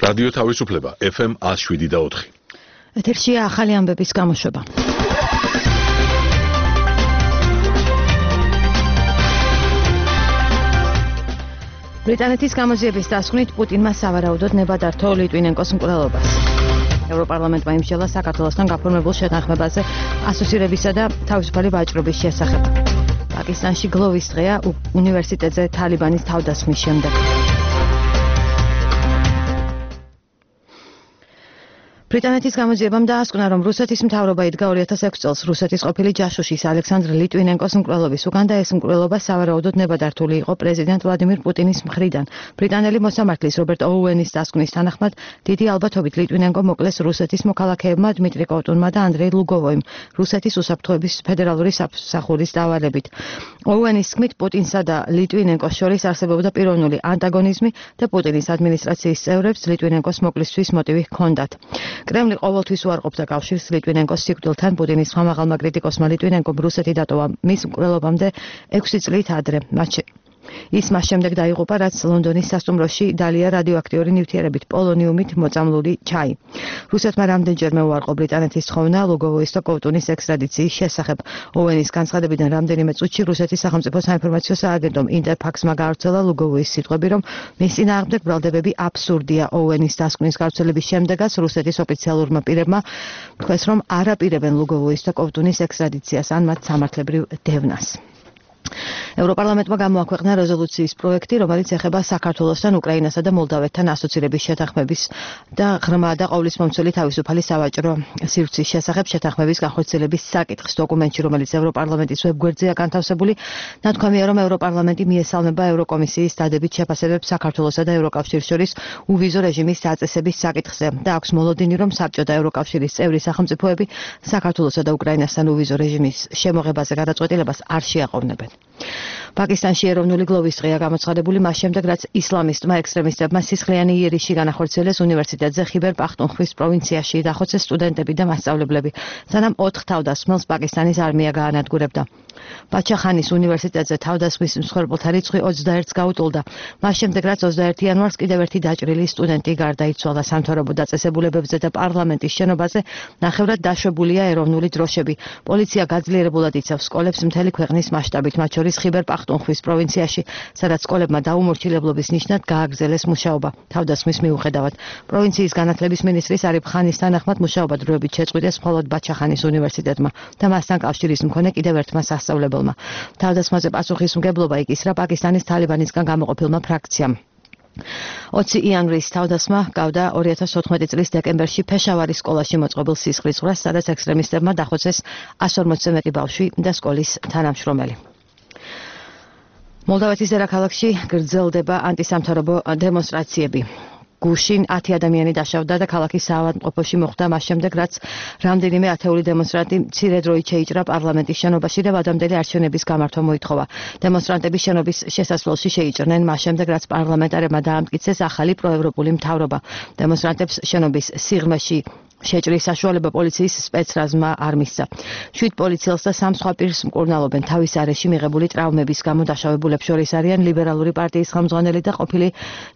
რადიო თავისუფლება FM 107.4. ეთერშია ახალი ამბების გამოშვება. ბრიტანეთის გამოძიების დასკვნით პუტინმა სავარაუდოდ ნებადართო ლიტვინენკოს მკვლელობას. ევროპარლამენტმა იმსჯელა საქართველოსთან გაფორმებულ შეთანხმებაზე ასოცირებისა და თავისუფალი ვაჭრობის შესახებ. პაკისტანში გლოვის დღეა უნივერსიტეტზე თალიბანის თავდასხმის შემდეგ. ბრიტანეთის გამოძიებამ დაასკვნა, რომ რუსეთის მთავრობა იდგა 2006 წელს რუსეთის ყოფილი ჯაშუშის ალექსანდრ ლიტვინენკოს მკვლელობის უკან და ეს მკვლელობა სავარაუდოდ ნებადართული იყო პრეზიდენტ ვლადიმირ პუტინის მხრიდან. ბრიტანელი მოსამართლის რობერტ ოუენის დასკვნის თანახმად, დიდი ალბათობით ლიტვინენკო მოკლეს რუსეთის მოქალაქეებმა დმიტრი კოტუნმა და ანდრეი ლუგოვოიმ რუსეთის უსაფრთხოების ფედერალური სამსახურის დავალებით. ოუენის თქმით, პუტინსა და ლიტვინენკოს შორის არსებობდა პიროვნული ანტაგონიზმი და პუტინის ადმინისტრაციის წევრებს ლიტვინენკოს მოკლისთვის მოტივი ჰქონდათ. კრემლი ყოველთვის უარყოფდა კავშირს ლიტვინენკოს სიკვდილთან. პუტინის ხმამაღალმა კრიტიკოსმა ლიტვინენკომ რუსეთი დატოვა მის მკვლელობამდე 6 წლით ადრე. ის მას შემდეგ დაიღუპა, რაც ლონდონის სასტუმროში დალია რადიოაქტიური ნივთიერებით პოლონიუმით მოწამლული ჩაი. რუსეთმა რამდენჯერმე უარყო ბრიტანეთის თხოვნა ლუგოვოის და კოტუნის ექსტრადიციის შესახებ. ოუენის განცხადებიდან რამდენიმე წუთში რუსეთის სახელმწიფო საინფორმაციო სააგენტომ ინტერფაქსმა გაავრცელა ლუგოვოის სიტყვები, რომ მის წინააღმდეგ ბრალდებები აბსურდია. ოუენის დასკვნის გავრცელების შემდეგაც რუსეთის ოფიციალურმა პირებმა თქვეს, რომ არ აპირებენ ლუგოვოის და კოტუნის ექსტრადიციას ან მათ სამართლებრივ დევნას. ევროპარლამენტმა გამოაქვეყნა რეზოლუციის პროექტი, რომელიც ეხება საქართველოსთან, უკრაინასა და მოლდავეთთან ასოცირების შეთანხმების და ღრმა და ყოვლისმომცველი თავისუფალი სავაჭრო სივრცის შესახებ შეთანხმების განხორციელების საკითხს. დოკუმენტში, რომელიც ევროპარლამენტის ვებგვერდზეა განთავსებული, ნათქვამია, რომ ევროპარლამენტი მიესალმება ევროკომისიის დადებით შეფასებებს საქართველოსა და ევროკავშირის შორის უვიზო რეჟიმის დაწესების საკითხზე და აქვს მოლოდინი, რომ საბჭო და ევროკავშირის წევრი სახელმწიფოები საქართველოსა და უკრაინასთან უვიზო რეჟიმის შემოღებაზე გადაწყვეტილებას არ შეაყოვნებენ. პაკისტანში ეროვნული გლოვის დღეა გამოცხადებული მას შემდეგ, რაც ისლამისტმა ექსტრემისტებმა სისხლიანი იერიში განახორციელეს უნივერსიტეტზე ხიბერ პახტუნხვის პროვინციაში დახოცეს სტუდენტები და მასწავლებლები, სანამ 4 თავდასხმელს პაკისტანის არმია გაანადგურებდა. ბაჩახანის უნივერსიტეტზე თავდასხმის მსხვერპლთა რიცხვი 21-ს გაუტოლდა. მას შემდეგ, რაც 21 იანვარს კიდევ ერთი დაჭრილი სტუდენტი გარდაიცვალა. სამთავრობო დაწესებულებებზე და პარლამენტის შენობაზე ნახევრად დაშვებულია ეროვნული დროშები. პოლიცია გაძლიერებულად იცავს სკოლებს მთელი ქვეყნის მასშტაბით, მათ შორის ხიბერ პახტუნხვის პროვინციაში, სადაც სკოლებმა დაუმორჩილებლობის ნიშნად გააგრძელეს მუშაობა. თავდასხმის მიუხედავად, პროვინციის განათლების მინისტრის არიფ ხანის თანახმად მუშაობა დროებით შეწყვიტეს მხოლოდ ბაჩახანის უნივერსიტეტმა და მასთან კავშირის მქონე კიდევ ერთმა სასწავლებელმა. თავდასხმაზე პასუხისმგებლობა იკისრა პაკისტანის თალიბანისგან გამოყოფილმა ფრაქციამ. 20 იანვრის თავდასხმა გავდა 2014 წლის დეკემბერში ფეშავარის სკოლაში მოწყობილ სისხლის ზღვრას, სადაც ექსტრემისტებმა დახოცეს 140-ზე მეტი ბავშვი და სკოლის თანამშრომელი. მოლდავეთის დედაქალაქში გრძელდება ანტისამთავრობო დემონსტრაციები. გუშინ 10 ადამიანი დაშავდა და ქალაქის საავადმყოფოში მოხვდა მას შემდეგ, რაც რამდენიმე ათეული დემონსტრანტი მცირე დროით შეიჭრა პარლამენტის შენობაში და ვადამდელი არჩევნების გამართვა მოითხოვა. დემონსტრანტები შენობის შესასვლელში შეიჭრნენ მას შემდეგ, რაც პარლამენტარებმა დაამტკიცეს ახალი პროევროპული მთავრობა. დემონსტრანტებს შენობის სიღრმეში შეჭრის საშუალება პოლიციის სპეცრაზმა არ მისცა. 7 პოლიციელს და 3 სხვა პირს მკურნალობენ. თავის არეში მიღებული ტრავმების გამო დაშავებულებს შორის არიან ლიბერალური პარტიის ხელმძღვანელი და ყოფილი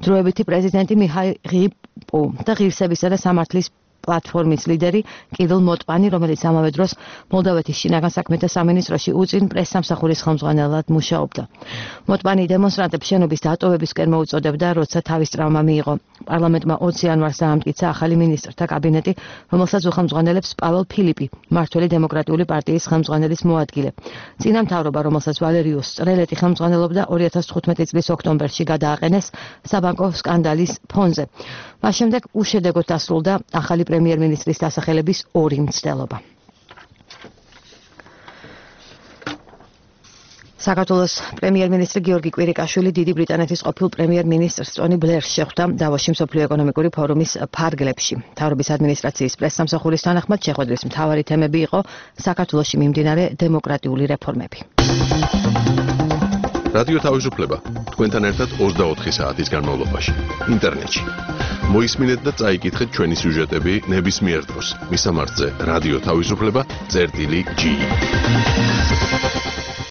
დროებითი პრეზიდენტი მიჰაილ ღიპუ და ღირსებისა და სამართლის პლატფორმის ლიდერი კირილ მოტპანი, რომელიც ამავე დროს მოლდავეთის შინაგან საქმეთა სამინისტროში უწინ პრესსამსახურის ხელმძღვანელად მუშაობდა. მოტპანი დემონსტრანტებს შენობის დატოვებისკენ მოუწოდებდა, როცა თავის ტრავმა მიიღო. პარლამენტმა 20 იანვარს დაამტკიცა ახალი მინისტრთა კაბინეტი, რომელსაც უხელმძღვანელებს პაվել ფილიპი, მმართველი დემოკრატიული პარტიის ხელმძღვანელის მოადგილე. წინა მთავრობა, რომელსაც ვალერიუს სტრელეტი ხელმძღვანელობდა, 2015 წლის ოქტომბერში გადააყენეს საბანკო სკანდალის ფონზე. მას შემდეგ უშედეგოდ დასრულდა ახალი პრემიერ-მინისტრის დასახელების 2 მცდელობა. საქართველოს პრემიერ-მინისტრი გიორგი კვირიკაშვილი დიდი ბრიტანეთის ყოფილ პრემიერ-მინისტრს ტონი ბლერს შეხვდა დავოსში მსოფლიო ეკონომიკური ფორუმის ფარგლებში. მთავრობის ადმინისტრაციის პრესსამსახურის თანახმად შეხვედრის მთავარი თემები იყო საქართველოში მიმდინარე დემოკრატიული რეფორმები. რადიო თავისუფლება თქვენთან ერთად 24 საათის განმავლობაში ინტერნეტში. მოისმინეთ და წაიკითხეთ ჩვენი სიუჟეტები ნებისმიერ დროს. მისამართზე რადიო თავისუფლება წერტილი G.